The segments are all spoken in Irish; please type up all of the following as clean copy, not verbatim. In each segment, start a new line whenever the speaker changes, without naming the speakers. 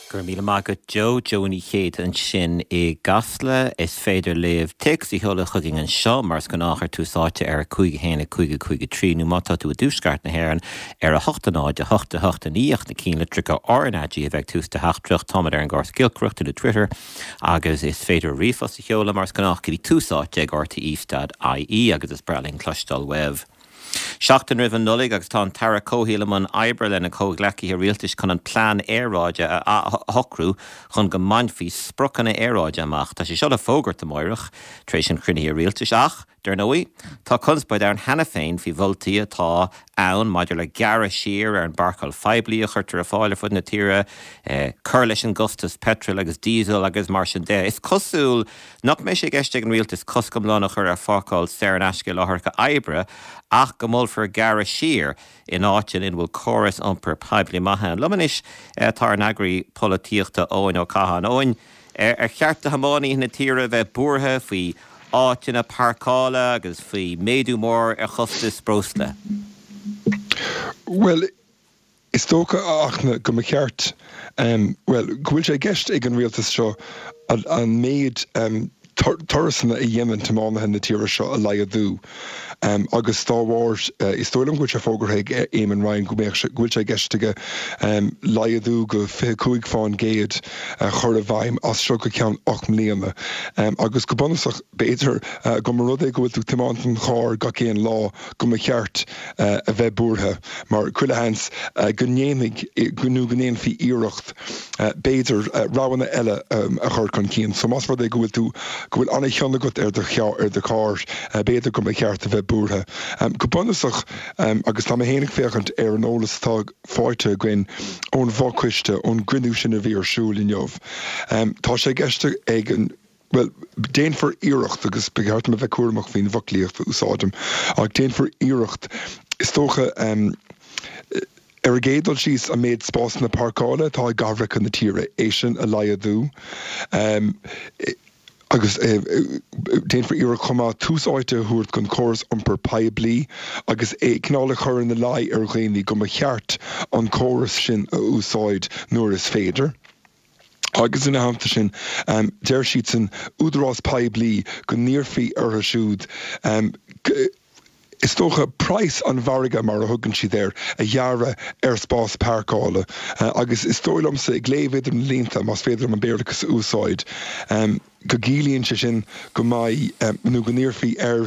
Go raibh míle maith agat Joe. Joe Ní Chéide ansin i gCasla. Is féidir libh téacs a sheoladh chugainn anseo mar is gnách ar Tús Áite ar 5 1 5 5 3 nó má tá tú i dtuaisceart na hÉireann ar 8 0 8 8 9 ach na cinnlitreacha RnaG a bheith ag tús do theachtaireacht. Táimid ar an gcóras giolcaireachta nó Twitter agus is féidir ríomhphost a sheoladh mar is gnách go dtí Tús Áite ag rte.ie agus is breá linn cloisteáil uaibh. Seachtain roimh an Nollaig agus tá an tAire Comhshaoil i mbun oibre lena chomhghleacaithe rialtais chun an plean aeráide a athshocrú chun go mbainfí spriocanna aeráide amach. Tá sé seo le fógairt amáireach tar éis an chruinnithe rialtais ach, dar ndóigh, tá conspóid ann cheana féin faoi mholtaí atá ann maidir le gearradh siar ar an bpáirceáil phoiblí a chuirtear ar fáil ar fud na tíre, cur leis an gcostas peitril agus díosail agus mar sin de. Is cosúil Nach mbeidh sé i gceist ag an rialtas cosc iomlán a chur ar pháirceáil saor in aisce i láithreacha oibre ach go molfar gearradh siar in áiteanna ina bhfuil córas iompair poiblí maith ann. Liom anois tá ár n-eagraí polaitíochta Eoin Ó Catháin. Eoin, ar cheart do thiománaithe na tíre a bheith buartha faoi áiteanna páirceála agus faoi mhéadú mór ar chostas breosla?
Bhuel, Is dócha, a Fhachtna, go mba cheart, bhuel, go bhfuil sé i gceist ag an rialtas seo an méid turasanna a dhéanann tiománaithe na tíre seo a laghdú agus dá bharr, is dóigh liom go bhfuil sé fógartha ag Eamon Ryan go mbeadh sé, go bhfuil sé i gceist aige laghdú go 25 fán gcéad a chur i bhfeidhm as seo go ceann 8 mbliana agus go bunúsach, b'fhéidir, go mba rud é go bhfuil tú ag tiomáint an chairr gach aon lá, go mba cheart a bheith buartha mar chuile sheans go ndéanfaidh nó go ndéanfaí iarracht b'fhéidir roghanna eile a chur chun cinn. So más rud é go bhfuil tú, go bhfuil an-chion agat ar do ar do charr, b'fhéidir go mba cheart a bheith buartha. Go bunúsach, agus tá mé féin ag féachaint ar an eolas atá faighte againn ón bhfochoiste, ón gcruinniú sin a bhí ar siúl inniu, tá sé i gceist ag an. Bhuel, déanfar iarracht, agus ba cheart dom a bheith cúramach faoin bhfoclaíocht a úsáidim, ach déanfar iarracht, is dócha, ar an gcéad dul síos, an méid spásanna páirceála atá i gcathracha na tíre, é sin a laghdú. Agus déanfar iarracht chomh maith tús áite a thabhairt don chóras iompair poiblí agus é cineál a chur ina luí ar dhaoine go mba cheart an córas sin a úsáid nuair is féidir. Agus ina theannta sin, deir siadsan, údarás poiblí, go n-iarrfaí orthu siúd, is dócha, praghas an mhargaidh, mar a thugann siad air, a ghearradh ar spás páirceála. Agus is dóigh liomsa, ag léamh idir na línte, más féidir liom an Béarlachas a úsáid, go gciallaíonn sé sin go mbeidh, nó go n-iarrfaí ar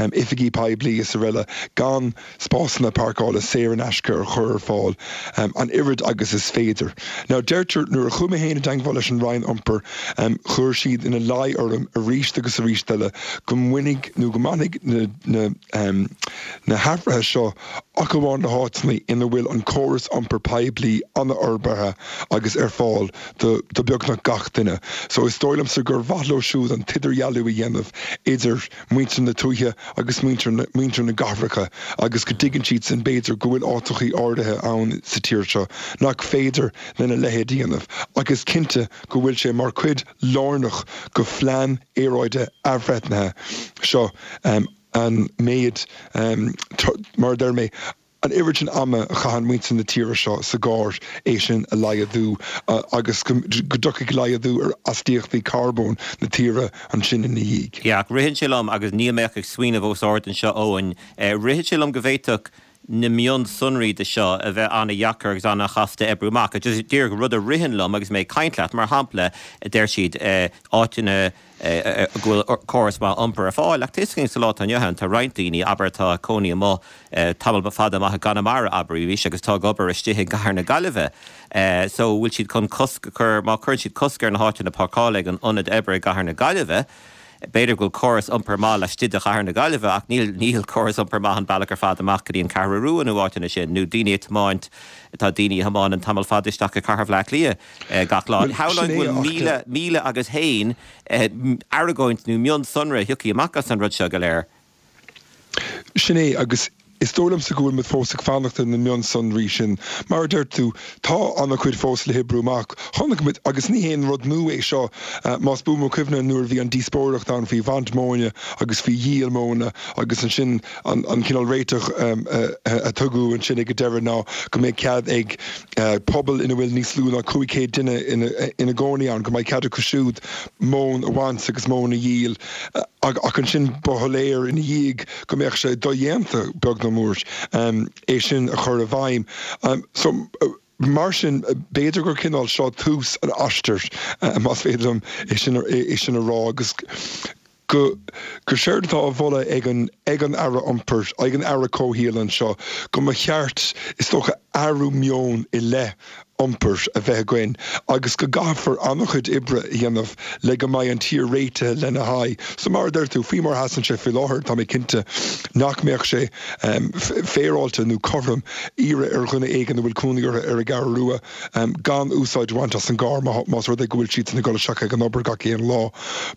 oifigí poiblí is araile gan spásanna páirceála saor in aisce a chur ar fáil an oiread agus is féidir. Now deirtear, nuair a chuaigh mé féin i dteangmháil leis an Roinn Iompair, chuir siad ina luí orm arís agus arís eile go mbainfidh nó go mbainfidh na na hathruithe seo ach amháin le háiteanna ina bhfuil an córas iompair poiblí an-fhorbartha agus ar fáil do beagnach gach duine. So is dóigh liomsa gur mhaith leo siúd an t-idirdhealú a dhéanamh idir muintir na tuaithe agus muintir na, muintir na gcathracha agus go dtuigeann siadsan b'fhéidir go bhfuil áiteachaí áirithe ann sa tír seo nach féidir lena leithéid a dhéanamh ach is cinnte go bhfuil sé mar chuid lárnach go phlean aeráide athbhreithnithe seo an méid mar a deir mé An oiread sin ama a chaitheann muintir na tíre seo sa gcarr, é sin a laghdú agus go dtiocfaidh laghdú ar astaíochtaí carbóin na tíre ansin ina dhiaidh.
Yeah, ach ritheann sé liom, agus níl mé ach ag smaoineamh os ard anseo Eoin, ritheann sé liom go bhféadfadh na mionsonraí de seo a bheith an-dheacair agus an-chasta a oibriú amach. Just díreach rud a ritheann liom agus mé ag caint leat, mar shampla, deir siad áiteanna, go bhfuil córas maith iompair ar fáil. Ach tá a fhios againn sa lá atá inniu ann, tá roinnt daoine, abair, atá ag cónaí amuigh tamall fada amach i gConamara, abraimis, agus atá ag obair istigh i gcathair na Gaillimhe. So, bhfuil siad chun cosc a chur, má chuireann siad cosc ar na háiteanna páirceála ag an ionad oibre i gcathair na Gaillimhe, b'fhéidir go bhfuil córas iompair maith laistigh de chathair na Gaillimhe ach níl, níl córas iompair maith an bealach ar fad amach go dtí an Ceathrú Rua nó áiteanna sin, nó daoine ag tiomáint, tá daoine a thiomáineann tamall fada isteach i cathair Bhaile Átha Cliath. gach lá. Shamhlóinn go bhfuil 1000 agus haon argóint nó mionsonra a thiocfaidh amach as an rud seo go léir.
Sin é, agus. Is dóigh liomsa go bhfuil muid fós ag fanacht ar na mionsonraí sin. Mar a deir tú, tá an-chuid fós le hoibriú amach. Chonaic muid, agus ní haon rud nua é seo, más buan mo chuimhne nuair a bhí an díospóireacht ann faoi bhaint móna agus faoi dhíol móna agus ansin an cineál réiteach a tugadh ansin ag an deireadh ná go mbeidh cead ag pobail ina bhfuil níos lú ná 500 duine ina gcónaí ann, go mbeidh cead acu siúd móin a bhaint agus móin a dhíol. Ach ansin ba shoiléir ina dhiaidh go mbeadh sé dodhéanta, beag nó mór, é sin a chur i bhfeidhm. So, mar sin, b'fhéidir gur cineál seo tús an aistir, más féidir liom é sin, é sin a rá, agus go, gur séard atá á mholadh ag an, ag an Aire Iompair, ag an Aire Comhshaoil anseo, go mba cheart, is dócha, athrú meoin i leith iompair a bheith againn agus go gcaithfear an-chuid oibre a dhéanamh le go mbeidh an tír réitithe lena haghaidh. So mar a deir tú, faoi mar a sheasann sé faoi láthair, tá mé cinnte nach mbeadh sé féaráilte nó cothrom iarraidh ar dhuine éigin a bhfuil cónaí orthu ar an gCeathrú Rua gan úsáid a bhaint as an gcarr más rud é go bhfuil siadsan ag dul isteach ag an obair gach aon lá.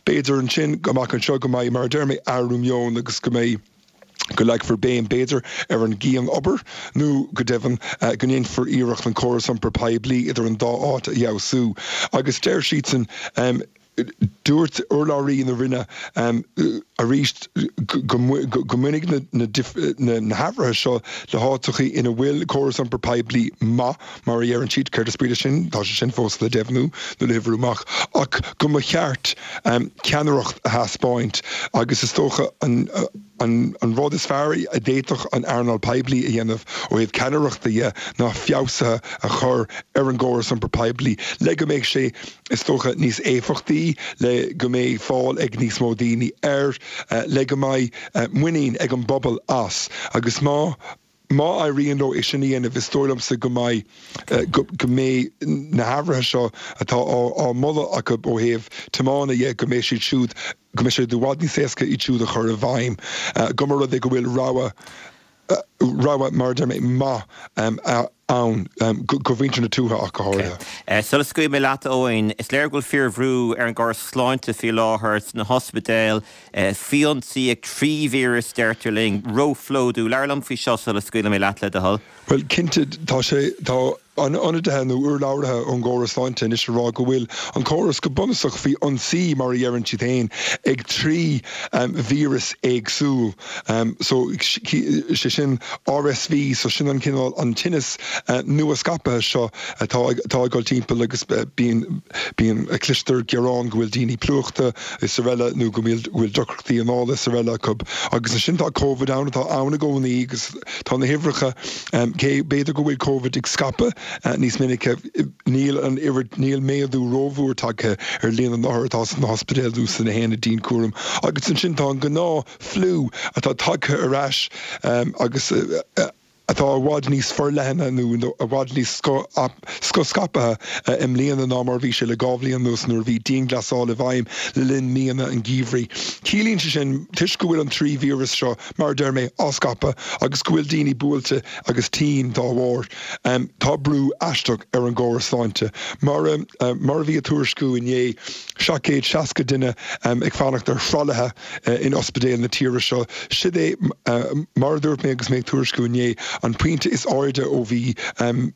B'fhéidir ansin, amach anseo, go mbeidh, mar a deir mé, athrú meoin agus go mbeidh. go leagfar béim, b'fhéidir, ar an gcian-obair nó, go deimhin, go ndéanfar iarracht an córas iompair poiblí idir an dá áit a fheabhsú. Agus deir siadsan, dúirt urlabhraí na Roinne arís go mbainfidh na hathruithe seo le háiteachaí ina bhfuil córas iompair poiblí maith, mar a dheireann siad, céard is brí leis sin? Tá sé sin fós le deimhniú nó le hoibriú amach, ach go mba cheart ceannaireacht a thaispeáint agus is dócha an rud is fearr a d'fhéadfadh an earnáil poiblí a dhéanamh ó thaobh ceannaireachta dhe ná feabhsuithe a chur ar an gcóras iompair poiblí le go mbeidh sé, is dócha, níos éifeachtaí, le go mbeidh fáil ag níos mó daoine air, le go mbeidh muinín ag an bpobal as agus má. Má éiríonn leo é sin a dhéanamh, is dóigh liomsa go mbeidh, go mbeidh na hathruithe seo atá á moladh acu ó thaobh tiomána dhe, go mbeidh siad siúd, go mbeidh sé i bhfad níos éasca iad siúd a chur i bhfeidhm, go mba rud é go bhfuil rogha, rogha, mar a deir mé, maith ann do mhuintir na tuaithe ach go háirithe.
Sula scaoilfidh mé leat, Eoin, is léir go bhfuil fíorbhrú ar an gcóras sláinte faoi láthair sna hospidéil. Faoi ionsaí ag 3 víreas, deirtear linn. Róphlódú. Labhair liom faoi seo sula scaoilfidh mé leat, le do thoil.
Bhuel, cinnte, tá sé, tá ionadaithe nó urlabhraithe ón gcóras sláinte anois ag rá go bhfuil an córas go bunúsach faoi ionsaí, mar a dheireann siad féin, ag 3 víreas éagsúil. So, sé sin RSV, so sin an cineál, an tinneas nua scaipthe seo atá, atá ag dul timpeall agus bíonn, bíonn, cloistear gearán go bhfuil daoine plúchta, is araile nó go bhfuil deacrachtaí anála is araile acu. Agus ansin tá Covid ann, atá ann i gcónaí agus tá na huimhreacha, cé b'fhéidir go bhfuil Covid ag scaipeadh níos minice, níl an oiread, níl méadú rómhór tagtha ar líon na n-othar atá sna hospidéil nó sna haonaid dianchúraim. Agus ansin tá an gnáth fliú atá tagtha ar ais agus. atá i bhfad níos forleithne nó i bhfad níos scothscaipthe i mbliana ná mar a bhí sé le 2 bhliain anuas nuair a bhí dianghlasáil i bhfeidhm le linn míonna an gheimhridh. Ciallaíonn sé sin, toisc go bhfuil an 3 víreas seo, mar a deir mé, á scaipeadh agus go bhfuil daoine buailte agus tinn dá bharr, tá brú aisteach ar an gcóras sláinte. Mar a bhí á tuairisciú inné, 760 duine ag fanacht ar thralaithe in ospidéil na tíre seo. Siod é, mar a dúirt mé agus mé ag tuairisciú inné, an pointe is airde ó bhí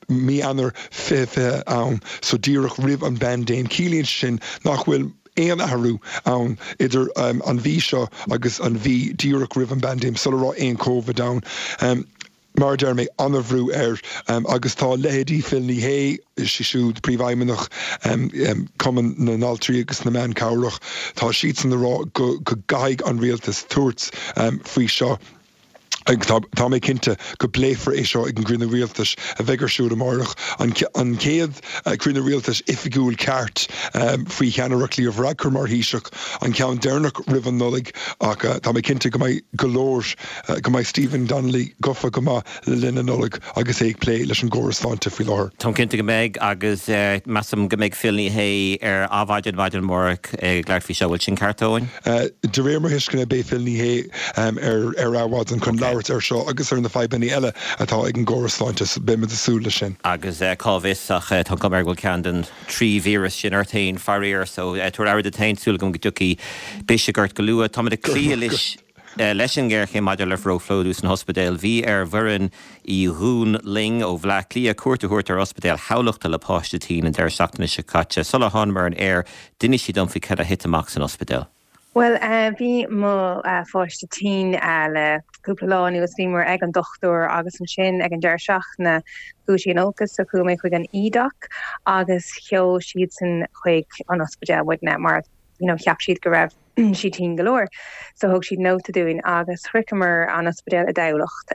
mí Eanáir 2020 ann, so díreach roimh an bpaindéim. Ciallaíonn sé sin nach bhfuil aon athrú ann idir an mhí seo agus an mhí díreach roimh an bpaindéim, sula raibh aon Covid ann. Mar a deir mé, an-bhrú air agus tá leithéidí Phil Ní Sheaghdha, sí siúd Príomhfheidhmeannach Cumann na nAltraí agus na mBan Cabhrach, tá siadsan ag rá go gcaithfidh an rialtas tabhairt faoi seo. Tá mé cinnte go bpléifear é seo ag an gcruinniú rialtais a bheidh ar siúl amárach, an chéad chruinniú rialtais oifigiúil ceart faoi cheannaireacht Leo Varadkar mar Thaoiseach, an ceann deireanach roimh an Nollaig ach tá mé cinnte go mbeidh go leor go mbeidh Stephen Donnelly gafa go maith le linn na Nollag agus é ag plé leis an gcóras sláinte faoi láthair.
Táim cinnte go mbeidh agus measaim go mbeidh Phil Ní Sheaghdha ar Adhmhaidin maidin amárach ag labhairt faoi seo. Bhfuil sin ceart, Eoin?
De réir mo thuisceana beidh Phil Ní Sheaghdha ar Adhmhaidin chun labhairt ar seo agus ar na fadhbanna eile atá ag an gcóras sláinte. Beimid ag súil leis sin.
Agus cá bhfios ach tá an chuma air go bhfuil ceann den 3 víreas sin ort féin, faraor. So tabhair aire duit féin, súil agam go dtiocfaidh biseach ort go luath. Táimid ag cloí anois. Leis an ngéarchéim maidir le róphlódú sna hospidéil, bhí ar Mhuireann Uí Dhúnlaing ó Bhleá Cliath cuairt a thabhairt ar Ospidéal Thamhlachta le páiste tinn an deireadh seachtaine seo caite. Sular thánamar ar an aer, d'inis sí dom faoi cad a thit amach san ospidéal.
Bhuel, bhí mo pháiste tinn le cúpla lá anuas. Bhíomar ag an dochtúir agus ansin ag an deireadh seachtaine chuaigh sí in olcas so chuaigh mé chuig an eDoc agus sheol siadsan chuig an ospidéal muidne mar you know cheap siad go raibh sí tinn go leor. So thug siad nóta dúinn agus shroicheamar an ospidéal i dTamhlacht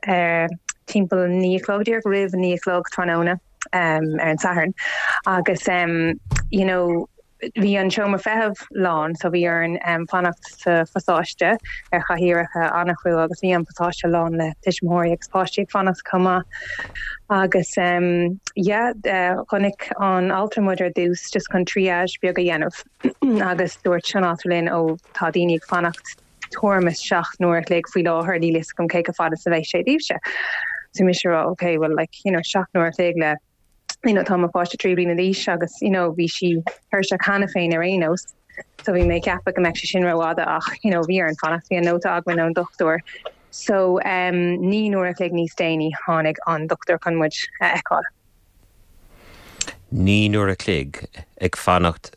timpeall 9 a chlog, díreach roimh 9 a chlog tráthnóna ar an Satharn agus you know bhí an seomra feithimh lán so bhí orainn fanacht sa phasáiste ar chathaoireacha an-chrua agus bhí an pasáiste lán le tuismitheoirí agus páistí ag fanacht chomh maith agus yeah chonaic an altra muid ar dtús just chun triage beag a dhéanamh. Agus dúirt an altra linn, Ó, tá daoine ag fanacht tuairim is 7 n-uair a chloig faoi láthair, níl fhios agam cé chomh fada is a bheidh sé daoibhse. So mise ag rá, ok, well like, you know, 7 n-uair a chloig le, you know, tá mo pháiste 3 bliana d'aois agus, you know, bhí sí tuirseach cheana féin ar aon nós. So bhí mé ag ceapadh go mbeadh sé sin rófhada ach, you know, bhí orainn fanacht, bhí an nóta againn ón dochtúir. So, um, 9 n-uair a chloig níos déanaí tháinig an dochtúir chun muid a fheiceáil.
9 n-uair a chloig ag fanacht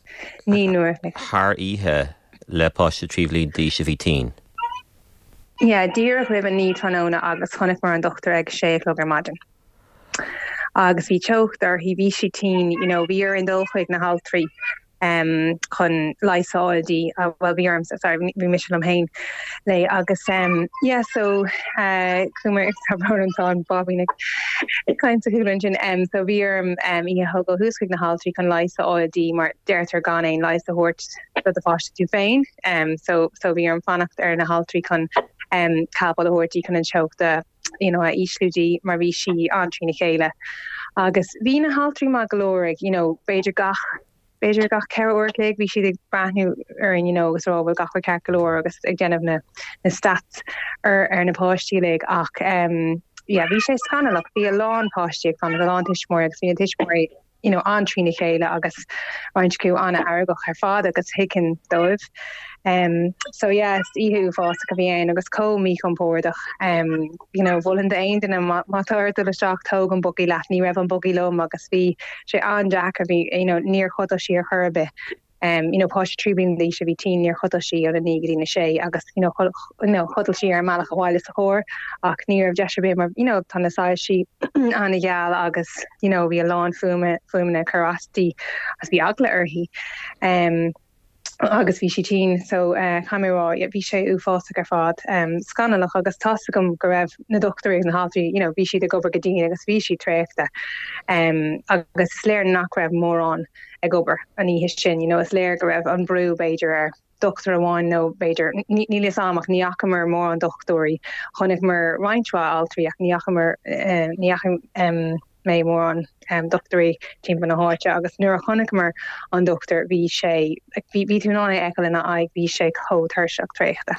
thar oíche le páiste 3 bhliain d'aois a bhí tinn.
Yeah, díreach roimh a 9 tráthnóna agus chonaiceamar an dochtúir ag 6 a chlog ar maidin. Agus bhí teocht uirthi, bhí sí tinn, you know, bhí orainn dul chuig na haltraí. chun leigheas a fháil di, bhuel bhí ormsa, sorry, bhí mise liom féin léi agus yeah so chuamar, tá brón orm tá an báibín ag caint sa chúlra ansin, so bhí orm í a thógáil thuas chuig na haltraí chun leigheas a fháil di mar deirtear gan aon leigheas a thabhairt do do pháiste tú féin so so bhí orm fanacht ar na haltraí chun Calpol a thabhairt di chun an teocht a you know, a ísliú di mar bhí sí an-trína chéile. Agus bhí na haltraí maith go leor ag, you know, b'fhéidir gach, b'fhéidir gach 4 uair a chloig bhí siad ag breathnú orainn, you know, agus rá bhfuil gach rud ceart go leor agus ag déanamh na, na stats ar, ar na páistí uilig ach um, yeah, bhí sé scannalach, bhí a lán páistí ag fanacht, a lán tuismitheoirí agus bhí na tuismitheoirí you know, an-trína chéile agus roinnt acu an-fheargach ar fad agus thuigfinn dóibh. Um, so yeah, is oíche uafásach a bhí ann agus chomh míchompordach. Um, you know, mholfainn d'aon duine má, má tá ort dul isteach tóg an bugaí leat, ní raibh an bugaí liom agus bhí sé an-deacair, bhí, you know, níor chodail sí ar chor ar bith. You know, páiste 3 bliana d'aois a bhí tinn, níor chodail sí óna 9 go dtí na 6 agus, you know, you know, chodail sí ar an mbealach abhaile sa charr ach ní raibh deis ar bith mar, you know, tá na soilsí an-gheal agus, you know, bhí a lán fuaime, fuaimeanna ag cur as di agus bhí eagla uirthi. Um, agus bhí sí tinn so uh, caithfidh mé a rá, yeah, bhí sé uafásach ar fad, um, scannalach agus tá's agam go raibh na dochtúirí agus na haltraí, you know, bhí siad ag obair go dian agus bhí siad traochta. Um, agus is léir nach raibh mórán ag obair an oíche sin. You know, is léir go raibh an brú b'fhéidir ar dochtúir amháin nó b'fhéidir, níl fhios a'm ach ní fhacamar mórán dochtúirí. Chonaiceamar roinnt mhaith altraí ach ní fhacamar, ní fhaca mé mórán dochtúirí timpeall na háite agus nuair a chonaiceamar an dochtúir bhí sé, bhí, bhí tú in ann é a fheiceáil ina aghaidh, bhí sé chomh tuirseach traochta.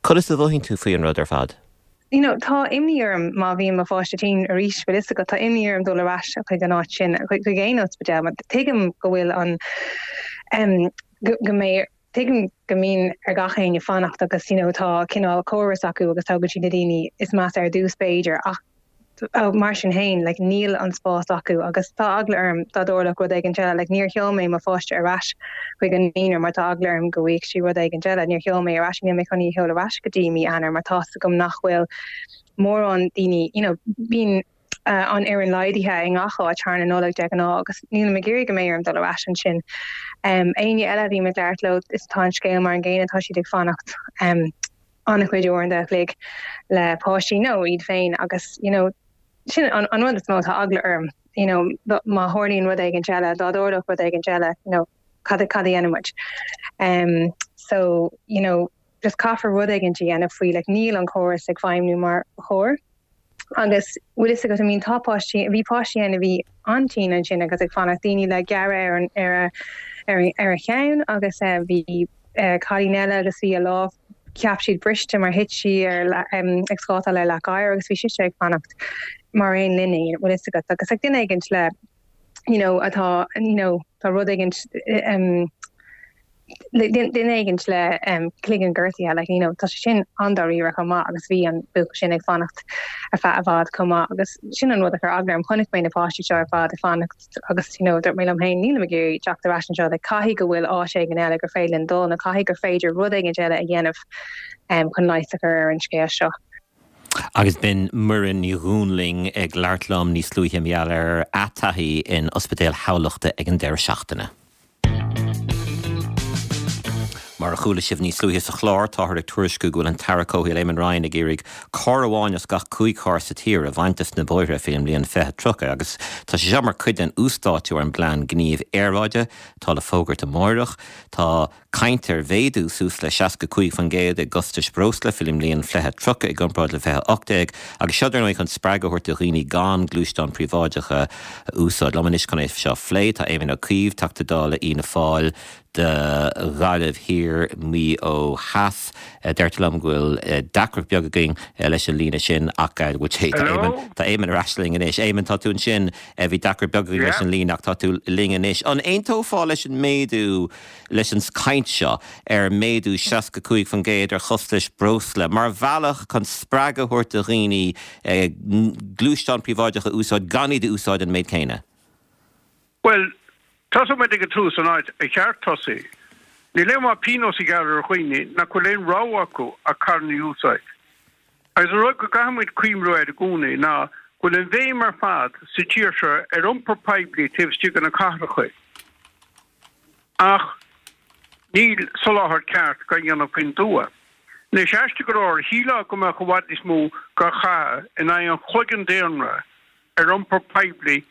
Conas a mhothaíonn tú faoi an rud ar fad?
You know, tá imní orm má bhíonn mo pháiste tinn arís, bhfuil fhios agat, tá imní orm dul ar ais chuig an áit sin, chuig aon ospidéal, mar tuigim go bhfuil an, em, go, go mbeidh, tuigim go mbíonn ar gach éinne fanacht agus, you know, tá cineál córas acu agus tógann siad na daoine is measa ar dtús b'fhéidir ach, Mar sin féin, like, níl an spás acu agus tá eagla orm dá dtarlódh rud éigin eile. Like, níor sheol mé mo pháiste ar ais chuig an naíonra mar tá eagla orm go bhfaighidh sí rud éigin eile. Níor sheol mé ar ais, níl mé chun í a sheoladh ar ais go dtí mí Eanáir mar tá's agam nach bhfuil mórán daoine, you know, bíonn an fhoireann laghdaithe i ngach áit thar na Nollag de ghnáth agus nílim ag iarraidh go mbeidh orm dul ar ais ansin. Um, éinne eile a bhím ag labhairt leo, is tá an scéal mar an gcéanna, tá siad ag fanacht. Um, an-chuid uaireanta a chloig le páistí nó iad féin agus you know sin an, an rud is mó tá eagla orm you know má tharlaíonn rud éigin eile dá dtarlódh rud éigin eile you know cad cad a dhéanann muid um, so you know just caithfear rud éigin a dhéanamh faoi like níl an córas ag feidhmiú mar ba chóir Agus bhfuil fhios agat, I mean tá páistí, bhí páistí ann a bhí an-tinn ansin agus ag fanacht, daoine le gearradh ar an, ar a, ar a, ar a cheann agus eh bhí eh cailín eile agus bhí a lámh, cheap siad briste mar thit sí ar em ag scátáil ar leac oighir agus bhí sise ag fanacht mar aon linne, bhfuil fhios agat agus like duine éigint le you know atá you know tá rud éigint em. Duine éigint le cloigeann gortaithe, like, you know, tá sé sin an-dáiríre chomh maith agus bhí an buachaill sin ag fanacht ar feadh i bhfad chomh maith agus sin an rud a chuir eagla orm. Chonaic mé na páistí seo ar fad ag fanacht agus, you know, dúirt mé liom féin, nílim ag iarraidh teacht ar ais anseo, like, caithfidh go bhfuil áit éigin eile gur féidir linn dul nó caithfidh gur féidir rud éigin eile a dhéanamh chun leigheas a chur ar an scéal seo.
Agus b'in Muireann Ní Dhúnlaing ag labhairt liom níos luaithe mar gheall ar a taithí in Ospidéal Thamhlachta ag an deireadh seachtaine. Mar a chuala sibh níos luaithe sa chlár, táthar ag tuairisciú go bhfuil an tAire Comhshaoil Eamon Ryan ag iarraidh carr amháin as gach 5 charr sa tír a bhaint des na bóithre faoin mbliain 2030 agus tá sé seo mar chuid den uasdátú ar an bPlean Gnímh Aeráide atá le fógairt amáireach. Tá Caint ar mhéadú suas le 65% i gcostais breosla faoin mbliain 2030 i gcomparáid le 2018 agus seo dar ndóigh chun spreagadh a thabhairt do dhaoine gan gluaisteáin príobháideacha a úsáid. Liom anois chun é seo a phlé tá Éamon Ó Cuív, Teachta Dála Fhianna Fáil do Ghaillimh Thiar, Maigh Eo Theas. Deirtear liom go bhfuil deacracht beag againn leis an líne sin ach bhuel tá Éamon, tá Éamon ar ais linn anois. Éamon, tá tú ansin, bhí deacracht beag againn leis an líne ach tá tú linn anois. An aontófá leis an méadú leis an gcaint seo ar méadú 65% ar chostais breosla mar bhealach chun spreagadh a thabhairt do dhaoine gluaisteáin príobháideacha a úsáid gan iad a úsáid an méid céanna?
Bhuel, tosóidh muid ag an tús, an áit ar cheart tosaí. Níl aon mhaith pionós a ghearradh ar dhaoine nach bhfuil aon rogha acu ach carranna a úsáid. Agus an rud go gcaithfidh muid cuimhniú air i gcónaí ná go bhfuil an bhéim ar fad sa tír seo ar iompar poiblí taobh istigh de na cathracha. Ach níl soláthar ceart dhá dhéanamh faoin dtuath. Anois, aisteach go leor, shílfeá go mbeadh i bhfad níos mó dhá chaitheamh in aghaidh an chloigeann daonra ar iompar poiblí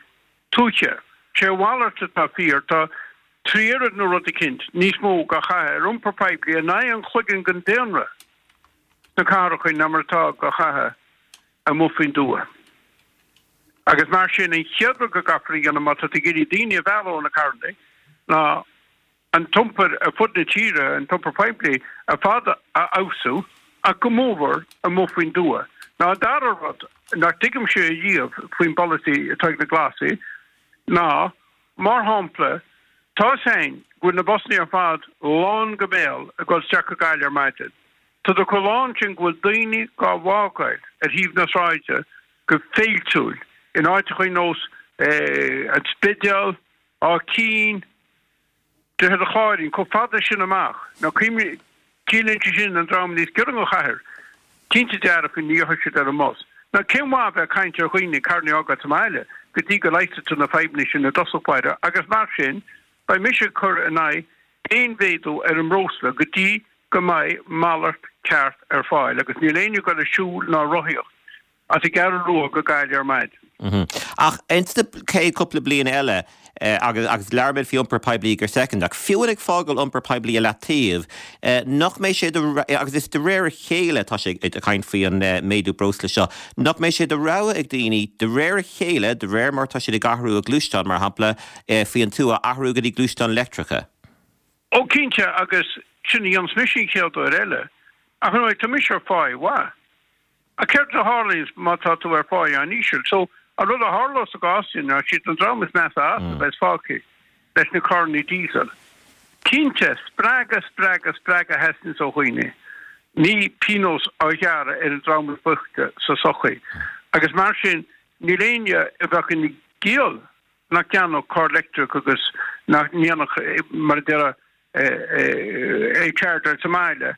tuaithe. Sé a mhalairt atá fíor, tá tri oiread nó rud eicínt níos mó dhá chaitheamh ar iompar poiblí in aghaidh an chloigeann den daonra sna cathracha ná mar atá dhá chaitheamh amuigh faoin dtuath. Agus mar sin, an chéad rud go gcaithfear a dhéanamh má tá tú ag iarraidh daoine a mhealladh ó na carranna ná an t-iompar ar fud na tíre, an t-iompar poiblí ar fad a fheabhsú, ach go mórmhór amuigh faoin dtuath. Now an dara rud nach dtuigimse ariamh faoin bpolasaí atá ag na Glasaigh ná, mar shampla, tá 'fhios a'inn go bhfuil na busanna ar fad lán go béal ag dul isteach go Gaillimh ar maidin. Tá siad chomh lán sin go bhfuil daoine dhá bhfágáil ar thaobh na sráide go féiltiúil in áiteacha ar nós an Spidéal, Áth Cinn, Droichead an Chláirín, chomh fada sin amach. Now cuimhnigh, ciallaíonn sé sin an dream níos giorra don chathair, cinnte dearfa ní gheobhaidh siad ar an mbus. Now cén mhaith a bheith ag caint ar dhaoine carranna a fhágáil sa mbaile go dtí go leigheasfaidh tú na fadhbanna sin i dtosach báire agus mar sin beidh mise ag cur in aghaidh aon mhéadú ar an mbreosla go dtí go mbeidh malairt ceart ar fáil agus níl éinne ag dul ag siúl ná ag rothaíocht as an gCeathrú Rua go Gaillimh ar
maidin. Ach ins na chéad cúpla bliain eile, agus agus labhair muid faoi iompar poiblí go soicind, ach fiú ag fágáil iompar poiblí i leataobh, nach mbeidh sé de, agus is de réir a chéile atá sé ag caint faoi an méadú breosla seo, nach mbeidh sé de rogha ag daoine de réir a chéile, de réir mar atá siad ag athrú a gluaisteán, mar shampla, faoi an tuath, athrú go dtí gluaisteáin leictreacha?
Ó cinnte, agus sin a dhéanfas mise an chéad uair eile. Ach ar ndóigh, tá mise ar pháigh mhaith. Ach céard a tharlaíonns má tá tú ar pháigh an-íseal? So, an rud a tharlós sa gcás sin ná siad an dream is measa as a bheas fágtha leis na carrannaí diesel. Cinnte, spreagadh, spreagadh, spreagadh a theastaíonns ó dhaoine, ní pionós á ghearradh ar an dream is boichte sa sochaí. Agus mar sin, níl éinne a bheadh ina gciall nach gceannódh carr leictreach agus nach ndéanfadh, mar a déarfá, é a chargeáil sa mbaile,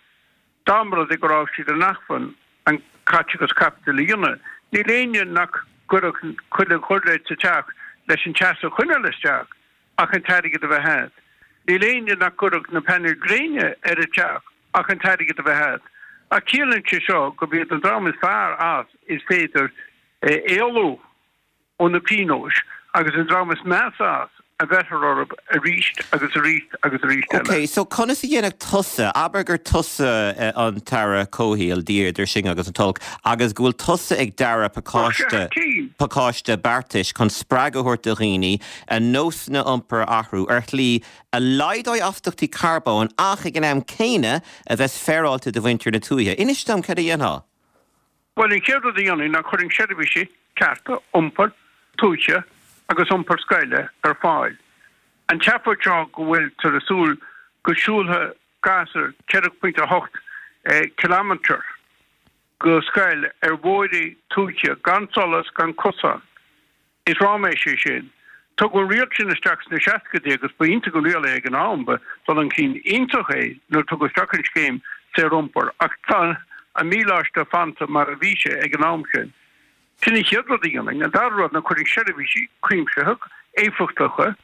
dá mba rud é go raibh siad in acmhainn an caiteachas caipitil a dhéanamh. Níl éinne nach gcuirfeadh chuile ghiuirléid sa teach leis an teas a choinneáil isteach ach an t-airgead a bheith a'd. Níl éinne nach gcuirfeadh na painéil gréine ar a teach ach an t-airgead a bheith a'd. Ach ciallaíonn sé seo gurb iad an dream is fearr as is féidir éalú. ó na pionóis agus an dream is measa as a bheirfear orthu arís agus arís agus arís eile.
Ok, so conas a dhéanfadh tusa, abair gur tusa an tAire Comhshaoil, Dia idir sinn agus an t-olc, agus go bhfuil tusa ag dearadh pacáiste, pacáiste beartais chun spreagadh a thabhairt do dhaoine a nósanna iompair a athrú ar shlí a laghdóidh astachtaí carbóin ach ag an am céanna a bheas féaráilte do mhuintir na tuaithe. Inis dom cad a dhéanfá?
Bhuel, an chéad rud a dhéanfainn ná chuirfinn seirbhísí cearta iompair tuaithe agus iompair scoile ar fáil. An tseafóid seo go bhfuiltear ag súil Go siúlfadh gasúr 4.8 kilometre go scoil ar bhóithre tuaithe gan solas, gan cosán. Is ráiméis é sin. Tugadh an riail sin isteach sna seascaidí agus ba iontach an riail é ag an am, ba dul chun cinn iontach é nuair a tugadh isteach an scéim saoriompair ach tá an míleáiste fanta mar a bhí sé ag an am sin. Sin an chéad rud a dhéanfainn. An dara rud ná cuirfinn seirbhísí cuimsitheacha, éifeachtacha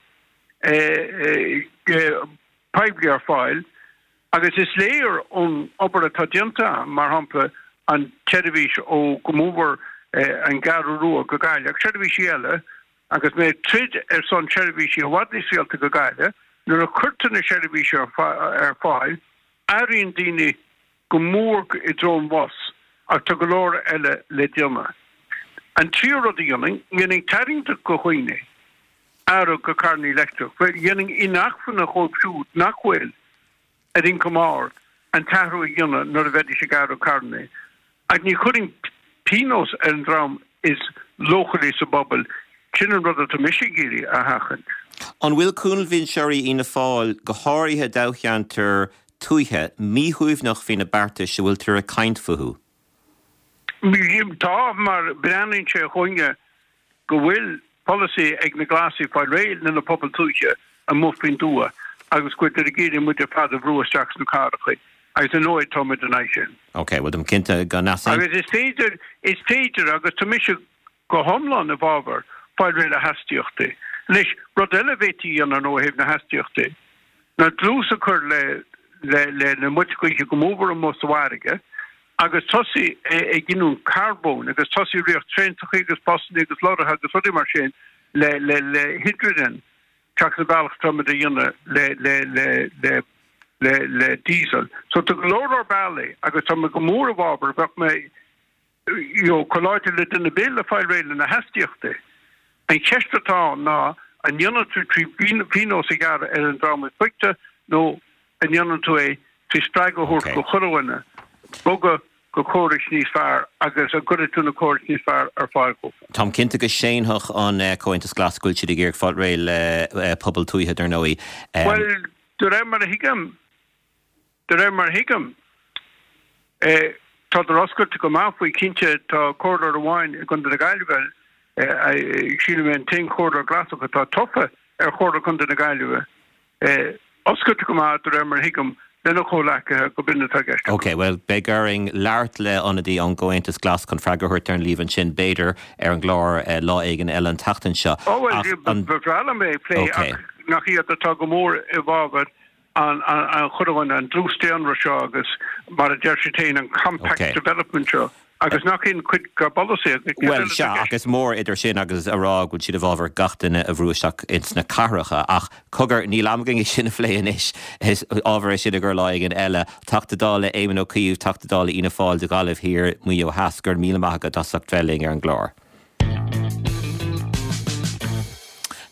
poiblí ar fáil agus is léir ón obair atá déanta agam, mar shampla an tseirbhís ó go mórmhór an gCeathrú Rua go Gaillimh ach seirbhísí eile agus mé ag troid ar son seirbhísí i bhfad níos rialta go Gaillimh, nuair a chuirtear na seirbhísí ar fáil, athraíonn daoine go mór i dtreo an bhus ach tá go leor eile le déanamh. An tríú rud a dhéanfainn, dhéanfainn tarraingteach go dhaoine athrú go carrannaí leictreach. Bhuel, dhéanfainn inacmhainne dhóibh siúd nach bhfuil ar ioncam ard an t-athrú a dhéanamh nuair a bheidís ag athrú carrannaí. Ach ní chuirfinn pionós ar an dream is leochailí sa bpobal. Sin an rud atá mise ag iarraidh a sheachaint.
An bhfuil cúlbhinseoirí Fhianna Fáil, go háirithe i dtoghcheantair tuaithe, míshuaimhneach faoi na beartais a bhfuiltear ag caint fúthu?
Tá, mar breathnaíonn sé chugainne go bhfuil polasaí ag na Glasaigh fáil réidh le na pobail tuaithe amuigh faoin dtuath agus go bhfuiltear ag iarraidh muid ar fad a bhrú isteach sna cathracha agus ar ndóigh tá muid in aghaidh sin.
Ok, bhuel táim cinnte go n-easaont.
Agus is féidir, is féidir agus tá mise go hiomlán i bhfabhar fáil réidh le hastaíochtaí. Anois, rud eile a bhféadfaí a dhéanamh ar ndóigh ó thaobh na hastaíochtaí ná dlús a chur le le le na muilte gaoithe go mórmhór amuigh sa bhfarraige agus tosaí ag giniúint carbóin agus tosaí ag ritheacht traentachaí agus busannaí agus lorraithe agus rudaí mar sin le le le hidrigin seachas an bealach atá muid a dhéanamh le le le le le le diesel. So tá go leor leor bealaí agus tá mé go mór i bhfabhar bheadh mé you know, chomh láidir le duine ar bith le fáil réidh le na hastaíochtaí. An cheist atá ann ná an ndéanann tú trí phionós a ghearradh ar an dream is boichte nó an ndéanann tú é trí spreagadh a thabhairt go chuile dhuine bogadh go córais níos fearr agus an gcuirfidh tú na córais níos fearr ar fáil dhófa.
Táim cinnte go séanfadh an Comhaontas Glas go bhfuil siad ag iarraidh fáil réidh le pobail tuaithe, dar ndóigh.
Bhuel, de réir mar a thuigim, De réir mar a thuigim, tádar oscailte go maith faoi. Cinnte, tá comhairleoir amháin i gContae na Gaillimhe, sílim é an t-aon chomhairleoir Glasach atá tofa ar Chomhairle Contae na Gaillimhe, oscailte go maith, de réir mar a thuigim, lena chomhleacaithe go b'in atá i gceist acu.
Ok, bhuel, beidh orainn labhairt le ionadaí ón gComhaontas Glas chun freagra a thabhairt ar an líomhain sin, b'fhéidir, ar an gclár lá éigin eile an tseachtain seo.
Ó, bhuel, ba bhreá liom é a phlé ach nach iad atá go mór i bhfabhar an chuireann an dlús daonra seo agus, mar a deir siad féin, an compact development seo, agus nach in cuid dá bpolasaí agus
céard Bhuel, eile sea, ach is mór idir sin agus a rá go bhfuil siad i bhfabhar gach duine a bhrú isteach ins na cathracha. Ach, cogar, níl am againn é sin a phlé anois. Is ábhar é sin i gcomhair lá éigin eile. Teachta Dála Éamon Ó Cuív, Teachta Dála Fhianna Fáil do Ghaillimh Thiar, Maigh Eo Theas, go raibh míle maith agat as ucht bheith linn ar an gclár.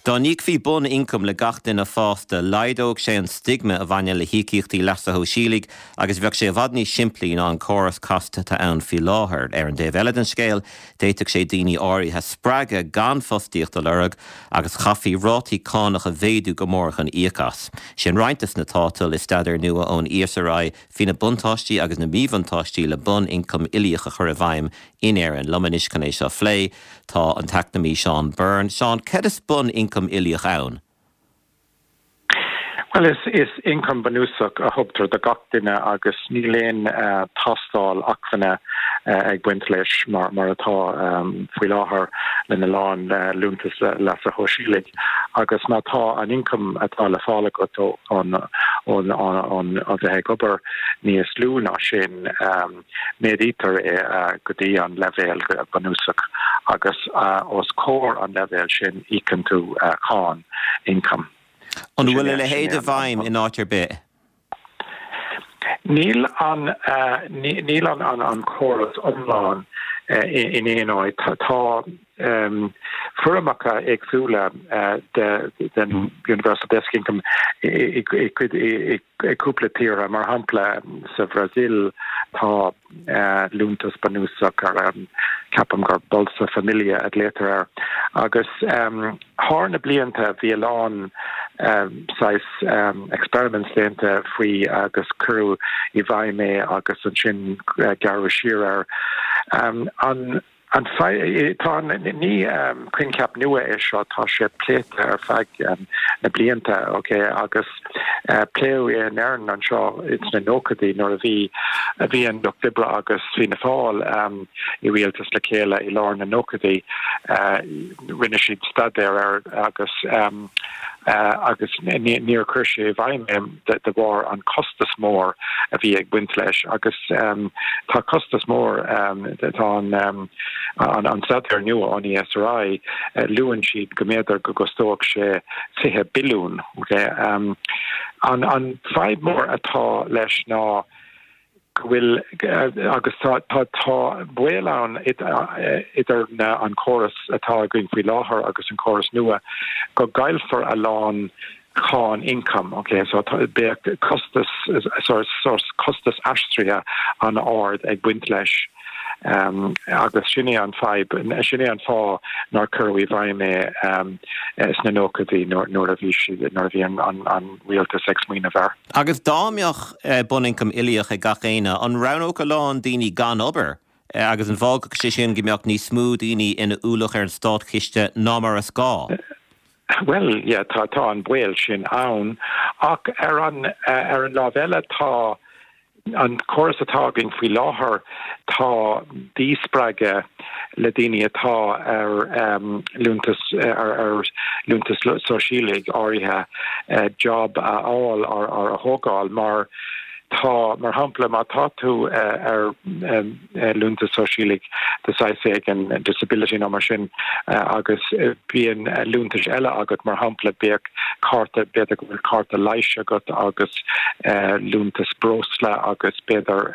Dá n-íocfaí bun-ioncam le gach duine fásta, laghdódh sé an stigma a bhaineann le híocaíochtaí leasa shóisialaigh agus bheadh sé i bhfad níos simplí ná an córas casta atá ann faoi láthair. Ar an dtaobh eile den scéal, d'fhéadfadh sé daoine áirithe a spreagadh gan fostaíocht a lorg agus chaithfí rátaí cánach a mhéadú go mór chun íoc as. Sin roinnt des na tátail i staidéar nua ón ESRI faoi na buntáistí agus na míbhuntáistí le bun-ioncam uilíoch a chur i bhfeidhm In Éirinn. Liom anois chun é seo a phlé tá an t-eacnamaí Seán Byrne. Seán, céard is bun ioncam uilíoch ann?
Bhuel, is is ioncam bunúsach a thugtar do gach duine agus níl aon tástáil acmhainne ag baint leis mar mar atá faoi láthair lena lán liúntas leasa shóisialaigh. Agus má tá an ioncam atá le fáil agat ón ón ón ó bheith ag obair níos lú ná sin, Méadaítear é go dtí an leibhéal bunúsach agus os comhair an leibhéil sin íocann tú cáin ioncaim.
An bhfuil a leithéid i bhfeidhm in áit ar bith?
Níl an níl an córas iomlán in aon áit. Tá foirmeacha éagsúla den Universal Basic Income i i gcúpla tíortha, mar shampla sa Bhrasaíl tá liúntas bunúsach ar ceapaim gur Bolsa Familia a ghlaotar air agus thar na blianta bhí a lán. Saghas experiments déanta faoi agus cuireadh i bhfeidhm é agus ansin gearradh siar air. An an tá an ní coincheap nua é seo, tá sé pléite ar feadh na blianta, ok, agus pléadh é in Éirinn anseo sna nóchaidí nuair a bhí a bhí an Lucht Oibre agus Fianna Fáil i rialtas le chéile i lár na nóchaidí. Rinne siad staidéar air agus agus níor chuir sé i bhfeidhm é de bharr an costas mór a bhí ag baint leis agus tá costas mór tá an an staidéar nua ón ESRI luann siad go mb'fhéidir go gcostódh sé 20 billiún. An an fadhb mór atá leis ná go bhfuil, agus tá, tá, tá baol ann idir na, an córas atá againn faoi láthair agus an córas nua, go gcaillfear a lán cáin ioncaim, ok, so tá, beidh costas, sórt costas aistrithe an-ard ag baint leis. Agus sin é an fadhb, sin é an fáth nár cuireadh i bhfeidhm é sna nóchaidí nuair a bhí siad, nuair a bhí an rialtas ag smaoineamh air.
Agus dá mbeadh bunioncam uilíoch ag gach éinne, an roghnódh a lán daoine gan obair agus an bhfágfadh sé sin go mbeadh níos mó daoine ina ualach ar an státchiste ná mar is gá?
Bhuel, yeah, tá, tá an baol sin ann. Ach ar an, ar an lámh eile tá an córas atá againn faoi láthair, tá díspreagadh le daoine atá ar liúntas, ar, ar liúntas sóisialaigh áirithe job a fháil or a thógáil mar tá, mar shampla, má tá tú ar liúntas sóisialaigh de saghas éigin, disability nó mar sin, agus bíonn liúntais eile agat, mar shampla, bíodh cárta, b'fhéidir go bhfuil cárta leighis agat agus liúntas breosla agus b'fhéidir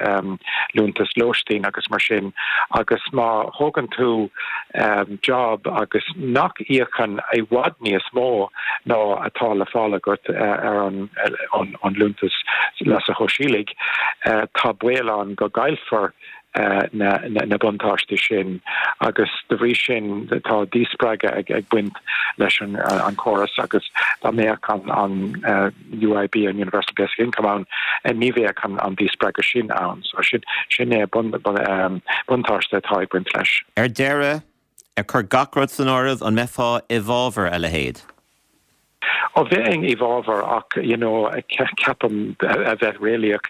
liúntas lóistín agus mar sin, agus má thógann tú job agus nach íocann i bhfad níos mó ná atá le fáil agat ar an liúntas leasa shóisialaigh, tá baol ann go gcaillfear na buntáistí sin agus de bhrí sin tá díspreagadh ag baint leis an chóras agus dá mbeadh an UIB, an Universal Basic Income ann, ní bheadh an díspreagadh sin ann. So sin é buntáiste atá ag baint leis.
Ar deireadh, ag cur gach rud san áireamh, an mbeifeá i bhfabhar a leithéid?
Ó bheinn i bhfabhar ach you know ceapaim a bheith réalaíoch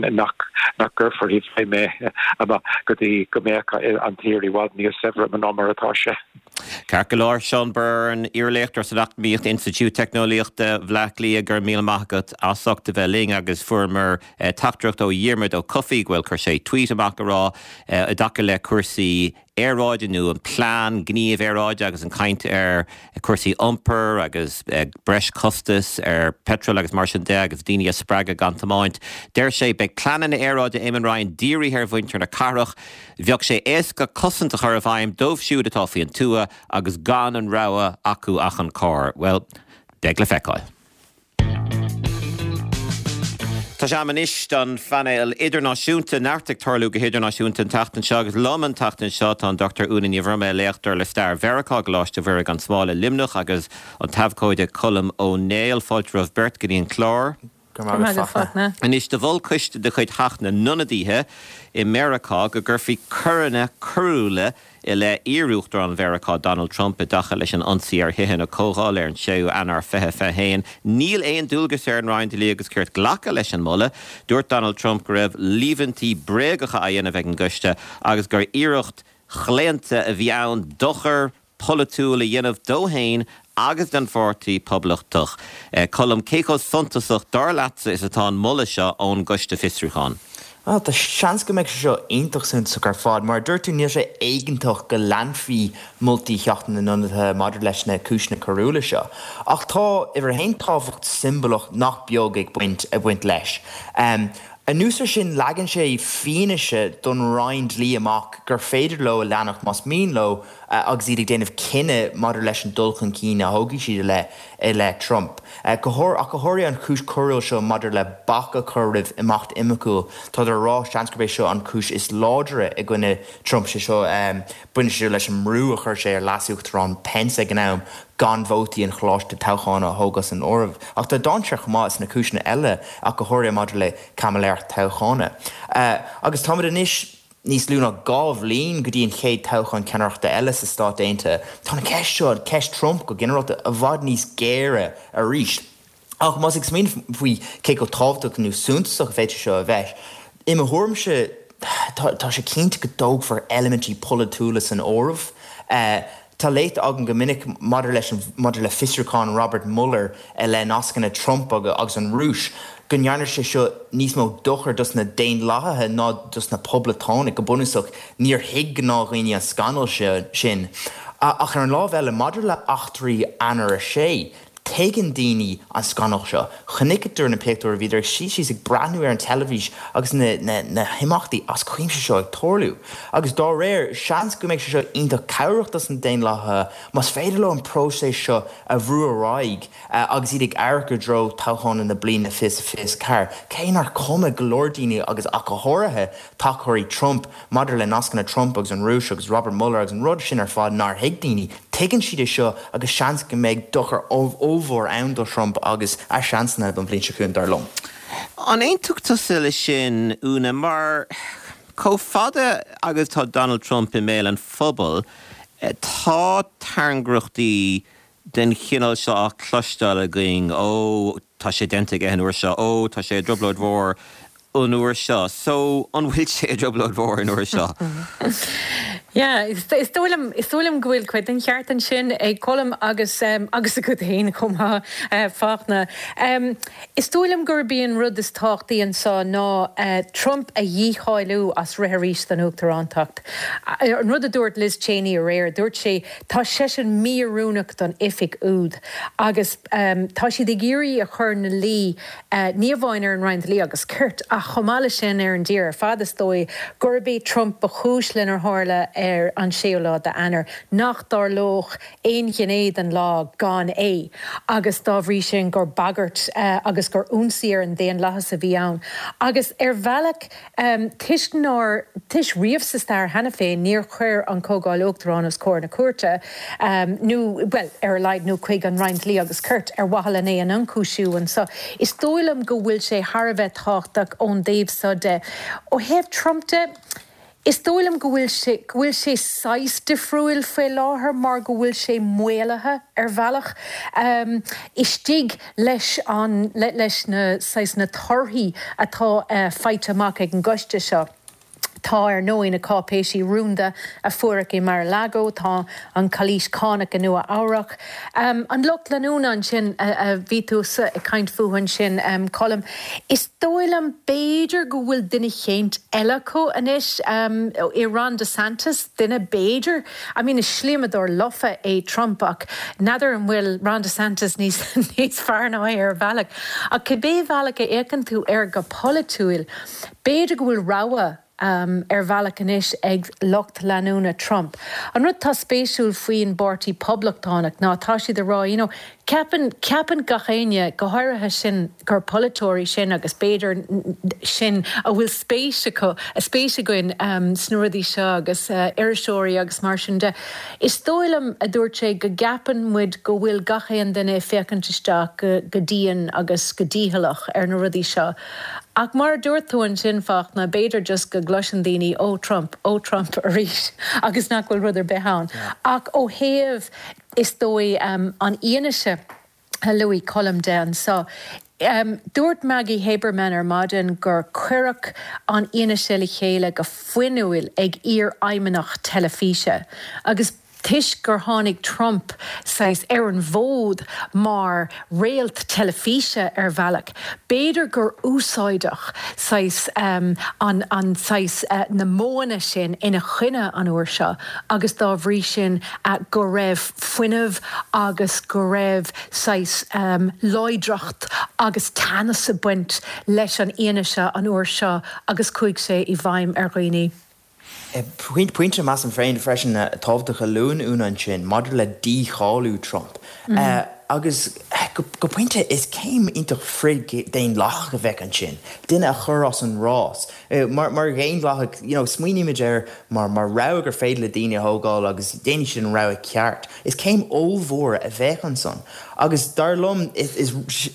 nach nach gcuirfear i bhfeidhm é go dtí go mbeadh an tír i bhfad níos saibhre ná mar atá sé.
Ceart go leor, Seán Byrne, iarléachtóir san Eacnamaíocht, Institiúid Teicneolaíochta Bhaile Átha Cliath, go raibh míle maith agat as ucht a bheith linn agus fuaireamar teachtaireacht ó Dhiarmuid Ó Cofaigh, bhuel chuir sé tweet amach ag rá i dtaca le cúrsaí aeráide nó an plean gníomh aeráide agus an chaint ar chúrsaí iompair agus breis costais ar petrol agus mar sin de agus daoine a spreagadh gan tiomáint. Deir sé, beidh pleananna aeráide Eamon Ryan dírithe ar mhuintir na cathrach. Bheadh sé éasca cosaint a chur i bhfeidhm dóibh siúd atá faoin tuath agus gan an rogha acu ach an carr. Bhuel, beidh le feiceáil. Tá sé am anois don phainéal idirnáisiúnta. Neart ag tarlú go hidirnáisiúnta an tseachtain seo agus liom an tseachtain seo tá an Dr Úna Ní Bhroime, léachtóir le stair Mheiriceá i gColáiste Mhuire gan Smál i Luimneach agus an t-abhcóide Colm Ó Néill. Fáilte romhaibh beirt go dtí an clár.
Go raibh maith agat, Fachtna.
Anois, do mhol coiste de chuid Theach na nIonadaithe i Meiriceá go gcuirfí coireanna coiriúla i leith iar-Uachtarán Mheiriceá Donald Trump i dtaca leis an ionsaí ar Thithe na Comhdhála ar an 6ú Eanáir 2021. Níl aon dualgas ar an Roinn Dlí agus Cirt glacadh leis an moladh. Dúirt Donald Trump go raibh líomhaintí bréagacha á dhéanamh ag an gcoiste agus gur iarracht chlaonta a bhí ann dochar polaitiúil a dhéanamh dó féin agus don Pháirtí Poblachtach. Colm, cé chomh suntasach, dar leatsa, is atá an moladh seo ón gCoiste Fiosrúcháin?
Bhuel, tá seans go mbeidh sé seo iontach suntasach ar fad. Mar a dúirt tú, níl sé éigeantach go leanfaí moltaí Theach na nIonadaithe maidir leis na cúiseanna coiriúla seo. Ach tá, uimhir a haon, tábhacht siombalach nach beag ag baint ag baint leis. Anuas ar sin, leagann sé fianaise don Roinn Dlí amach gur féidir leo a leanacht más mian leo agus iad ag déanamh cinneadh maidir leis an dul chun cinn a thógfaidh siad i leith i leith Trump. Ach go háirithe an chúis choiriúil seo maidir le bac a chur roimh imeacht oimeachúil, tádar ag rá, seans gurb é seo an chúis is láidre i gcoinne Trump, sé seo baineann sé seo leis an mbrú a chuir sé ar Leas-Uachtarán Pence ag an am gan vótaí an Choláiste Toghcháin a thógáil san áireamh. Ach tá dainséar chomh maith sna cúiseanna eile, ach go háirithe maidir le caimiléireacht toghchána. Agus táimid anois níos lú ná 2 bhliain go dtí an chéad toghchán ceannaireachta eile sa Stát Aontaithe. Tá an cheist seo, ceist Trump go ginearálta, i bhfad níos géire arís. Ach más ag smaoineamh faoi cé chomh tábhachtach nó suntasach a bhféadfadh sé seo a bheith, i mo thuairimse, tá sé cinnte go dtógfar eilimintí polaitiúla san áireamh. Tá léite agam go minic maidir leis an, maidir le fiosrúchán Robert Mueller i leith nascanna Trump agus an Rúis, go ndearna sé seo níos mó dochair dos na Daonlathaithe ná dos na Poblachtánaigh. Go bunúsach, níor thuig gnáthdhaoine an scannal sin. Ach ar an lámh eile, maidir le eachtraí Eanáir 6, Tuigeann daoine an scannal seo. Chonaiceadar na pictiúir, bhíodar ag suí síos ag breathnú ar an teilifís agus na himeachtaí as cuimse seo ag tarlú. Agus dá réir, seans go mbeidh sé seo iontach cabhrach dos na Daonlathaithe más féidir leo an próiseas seo a bhrú ar aghaidh agus iad ag amharc i dtreo toghcháin na bliana 2024. Cé nár cuma go leor daoine agus ach go háirithe tacóirí Trump maidir le nascanna Trump agus an Rúis agus Robert Mueller agus an rud sin ar fad nár thuig daoine, tuigeann siad é seo agus seans go mbeidh dochar ollmhór ann do Trump agus a seansanna don bhliain seo chugainn, dar liom.
An aontódh tusa leis sin, Úna, mar chomh fada agus tá Donald Trump i mbéal an phobail, tá tairngreachtaí den chineál seo á cloisteáil againn, ó, tá sé déanta aige an uair seo, ó, tá sé i dtrioblóid mhór an uair seo. So, an bhfuil sé i dtrioblóid mhór an uair seo?
Yeah, is dóigh liom, is dóigh liom go bhfuil cuid den cheart ansin ag Colm agus, agus agat féin chomh maith, Fachtna. Is dóigh liom gurb í an rud is tábhachtaí anseo ná Trump a dhícháiliú as rith arís don uachtarántacht. An rud a dúirt Liz Cheney aréir, dúirt sí, Tá seisean mí-oiriúnach don oifig úd agus tá siad ag iarraidh a chur ina luí, ní amháin ar an Roinn Dlí agus Cirt ach chomh maith leis sin ar an dtír ar fad is dóigh, gurb é Trump ba chúis lenar tharla ar an séú lá d'Eanáir, nach dtarlódh aon ghné den lá gan é agus dá bhrí sin gur bagairt agus gur ionsaí ar an daonlathas a bhí ann. Agus ar bhealach. Toisc nár, toisc riamh sa stair cheana féin, níor chuir an Chomhdháil Uachtarán os comhair na cúirte, nó, bhuel, ar a laghad, nó chuig an Roinn Dlí agus Cirt, ar mhaithe len é a n-ionchúisiú anso. Is dóigh liom go bhfuil sé thar a bheith tábhachtach ón dtaobh so de. Ó thaobh Trump de, is dóigh liom go bhfuil sé, go bhfuil sé saghas difriúil faoi láthair mar go bhfuil sé maolaithe ar bhealach. Istigh. leis an, leis na, saghas, na torthaí atá faighte amach ag an gcoiste seo. Tá, ar ndóigh, na cáipéisí rúnda a fuaireadh i Mar-a-Lago, tá an chalaois chánach i Nua Eabhrac. An lucht leanúna ansin a bhí tusa ag caint fúthu ansin, Colm, is dóigh liom, b'fhéidir go bhfuil duine eicínt eile acu anois i Ron DeSantis, duine b'fhéidir, I mean is slíomadóir lofa é Trump ach n'fheadar an bhfuil Ron DeSantis níos níos fearr ná é ar bhealach. Ach cibé bhealach a fhéachann tú air go polaitiúil, b'fhéidir go bhfuil rogha ar bhealach anois ag lucht leanúna Trump. An rud atá spéisiúil faoin bPáirtí Poblachtánach ná tá siad ag rá you know Ceapann, ceapann gach éinne, go háirithe sinn, gur polaiteoirí sinn agus b'fhéidir sinn a bhfuil spéis acu, spéis againn sna rudaí seo agus iriseoirí agus mar sin de. Is dóigh liom, a dúirt sé, go gceapann muid go bhfuil gach aon duine ag féachaint isteach go, go dian agus go dícheallach ar na rudaí seo. Ach mar a dúirt tú ansin, Fachtna, b'fhéidir just go gcloiseann daoine, oh Trump, oh Trump arís agus nach bhfuil rud ar bith ann. Ach ó thaobh. Is dóigh, an fhianaise a luaigh Colm de anseo. Dúirt Maggie Haberman ar maidin gur cuireadh an fhianaise le chéile go fuinniúil ag iarfheidhmeannach teilifíse agus. Toisc gur tháinig Trump saghas ar an bhfód mar réalt teilifíse ar bhealach, b'fhéidir gur úsáideadh saghas an an saghas na modhanna sin ina choinne an uair seo agus dá bhrí sin go raibh fuinneamh agus go raibh saghas láidreacht agus teannas ag baint leis an fhianaise an uair seo agus chuaigh sé i bhfeidhm ar dhaoine.
Pointe, measaim féin freisin, tábhachtach a luann Úna ansin maidir le dícháiliú Trump. Agus go pointe, is céim iontach frith-dhaonlathach a bheadh ansin, duine a chur as an rás. Mar dhaonlathaigh, you know, smaoinímid air mar rogha gur féidir le daoine a thógáil agus déanfaidh siad an rogha ceart. Is céim ollmhór a bheadh ansan. Agus dar liom, is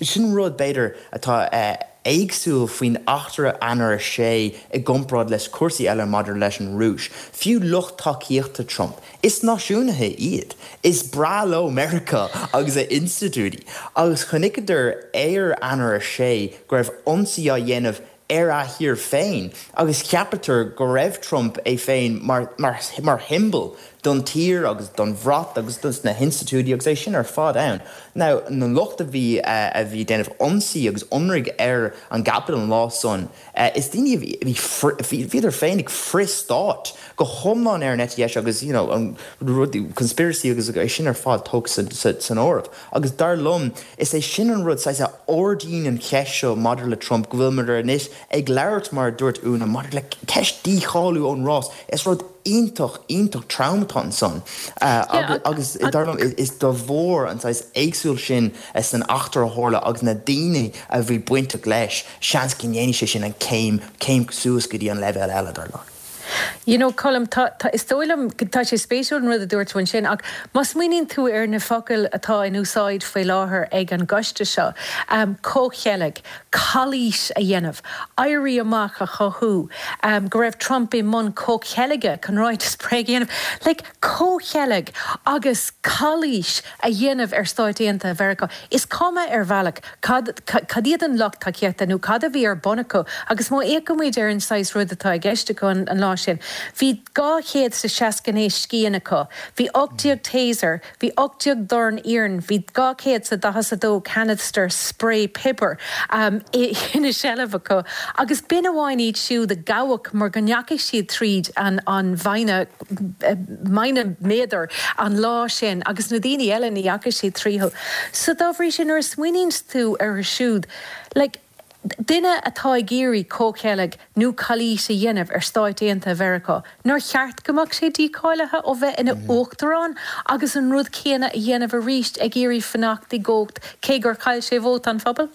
sin rud, b'fhéidir, atá éagsúil faoin eachtra Eanáir 6 i gcomparáid leis cúrsaí eile maidir leis an Rúis. Fiú lucht tacaíochta Trump, is náisiúnaithe iad. Is breá leo Meiriceá agus a institiúidí. Agus chonaiceadar ar Eanáir 6 go raibh ionsaí á dhéanamh ar a thír féin agus cheapadar go raibh Trump é féin mar mar shiombail don tír agus don bhrat agus dos na hinstitiúidí agus é sin ar fad ann. Now na lucht a bhí a bhí ag déanamh ionsaí agus ionraidh ar an gCapitol an lá san is daoine a bhí bhí bhíodar féin ag frith-stát go hiomlán ar an eite dheis agus you know an rud conspiracy agus é sin ar fad tógtha san áireamh. Agus dar liom is é sin an rud saghas a ardaíonn an cheist seo maidir le Trump go bhfuilimid anois ag labhairt mar a dúirt Úna maidir le ceist dícháiliú ón rás. Is rud iontach, iontach trom atá ansan agus dar liom is de bharr an saghas éagsúil sin san eachtra a tharla agus na daoine a bhí bainteach leis, seans go ndéanfaidh sé sin an céim, céim suas go dtí an leibhéal eile, dar liom.
You know, Colm, tá, tá, is dóigh liom, tá sé spéisiúil an rud a dúirt tú ansin, ach má smaoiníonn tú ar na focail atá in úsáid faoi láthair ag an gcoiste seo, comhcheilg, calaois a dhéanamh, éirí amach a chothú, go raibh Trump i mbun comhcheilge chun ráiteas bréige a dhéanamh, like, comhcheilg agus calaois a dhéanamh ar Stáit Aontaithe Mheiriceá. Is cuma ar bhealach cad, cad iad an lucht tacaíochta nó cad a bhí ar bun acu agus má fhéachaimid ar an saghas rud atá i gceist acu an lá sin, bhí 269 scian acu, bhí 18 taser, Bhí 18 dorn iarainn, bhí 242 canister sprae piobair ina seilbh acu agus b'in amháin iad siúd a gabhadh mar go ndeachaigh siad tríd an mhine, mine méadar an lá sin agus na daoine eile ní dheachaigh siad tríothu. So dá bhrí sin nuair a smaoiníonns tú orthu siúd, like, Duine atá ag iarraidh comhcheilg nó calaois a dhéanamh ar Stáit Aontaithe Mheiriceá, nár cheart go mbeadh sé dícháilithe ó bheith ina uachtarán agus an rud céanna a dhéanamh arís ag iarraidh fanacht i gcumhacht cé gur chaill sé vóta an phobail?